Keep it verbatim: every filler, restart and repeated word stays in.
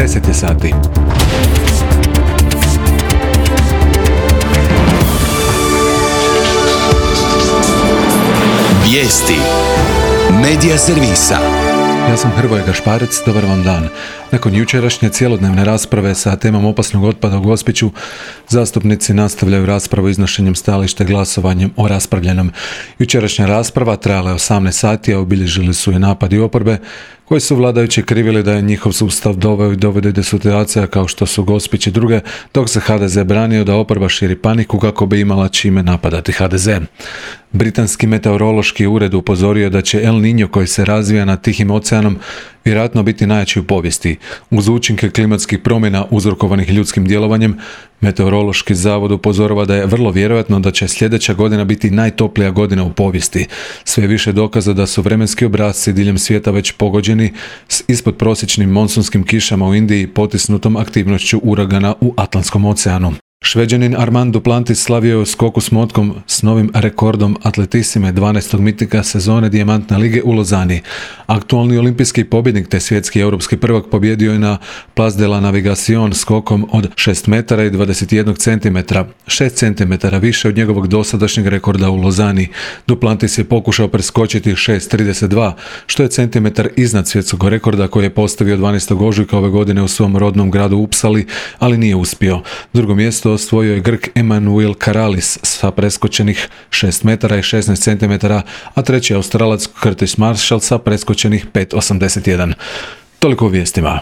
deset je sati. Vijesti Medija servisa. Ja sam Hrvoje Gašparec, dobar vam dan. Nakon jučerašnje cjelodnevne rasprave sa temom opasnog otpada u Gospiću, zastupnici nastavljaju raspravu iznošenjem stajališta glasovanjem o raspravljenom. Jučerašnja rasprava trajala je osamnaest sati, a obilježili su i napadi oporbe, koji su vladajući krivili da je njihov sustav doveo i dovede do situacija kao što su Gospić i druge, dok se ha de ze branio da oporba širi paniku kako bi imala čime napadati ha de ze. Britanski meteorološki ured upozorio da će El Niño, koji se razvija nad Tihim oceanom, vjerojatno biti najjači u povijesti. Uz učinke klimatskih promjena uzrokovanih ljudskim djelovanjem, Meteorološki zavod upozorava da je vrlo vjerojatno da će sljedeća godina biti najtoplija godina u povijesti. Sve više dokaza da su vremenski obrasci diljem svijeta već pogođeni s ispodprosječnim monsunskim kišama u Indiji, potisnutom aktivnošću uragana u Atlantskom oceanu. Šveđanin Armand Duplantis slavio je u skoku s motkom s novim rekordom atletisime dvanaestog mitinga sezone Dijamantne lige u Lozani. Aktualni olimpijski pobjednik te svjetski i europski prvak pobjedio je na Place de la Navigation skokom od šest metara i dvadeset jedan centimetra, šest centimetara više od njegovog dosadašnjeg rekorda u Lozani. Duplantis je pokušao preskočiti šest trideset dva, što je centimetar iznad svjetskog rekorda koji je postavio dvanaestog ožujka ove godine u svom rodnom gradu Uppsali, ali nije uspio. Drugo mjesto osvojio je Grk Emanuel Karalis sa preskočenih šest metara i šesnaest centimetara, a treći Australac Curtis Marshall sa preskočenih pet osamdeset jedan. Toliko u vijestima.